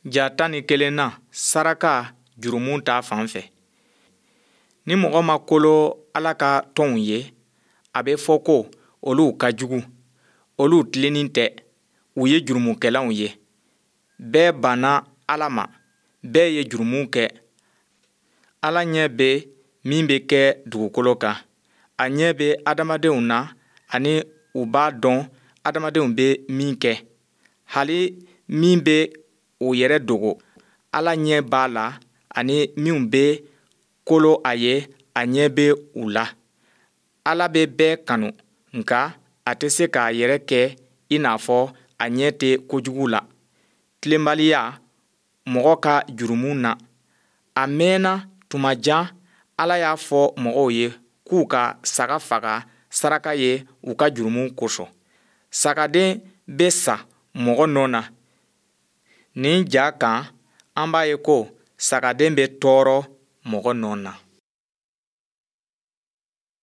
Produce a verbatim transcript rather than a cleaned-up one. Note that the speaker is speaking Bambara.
Ja tan ni kelennan saraka jurumu ta fan fɛ. Ni mɔgɔ ma kolo Ala ka tɔnw ye, a bɛ fɔ ko olu ka jugu, olu tilennen tɛ, u ye jurumukɛlaw ye. Bɛɛ banna Ala ma, bɛɛ ye jurumu kɛ. Ala ɲɛ bɛ min bɛ kɛ dugukolo kan. A ɲɛ bɛ adamadenw na ani u b'a dɔn adamadenw bɛ min kɛ. Hali min bɛ o yɛrɛ dogo, Ala ɲɛ b'a la ani minw bɛ kolo a ye, a ɲɛ bɛ u la. Ala bɛ bɛɛ kanu, nka a tɛ se k'a yɛrɛ kɛ i n'a fɔ a ɲɛ tɛ kojugu la. Tilenbaliya mɔgɔ ka jurumu na. A mɛnna tuma jan Ala y'a fɔ mɔgɔw ye k'u ka saga faga saraka ye u ka jurumu kosɔn. Sagaden bɛ sa mɔgɔ nɔ na. Nin ja kan, an b'a ye ko sagaden bɛ tɔɔrɔ mɔgɔ nɔ na.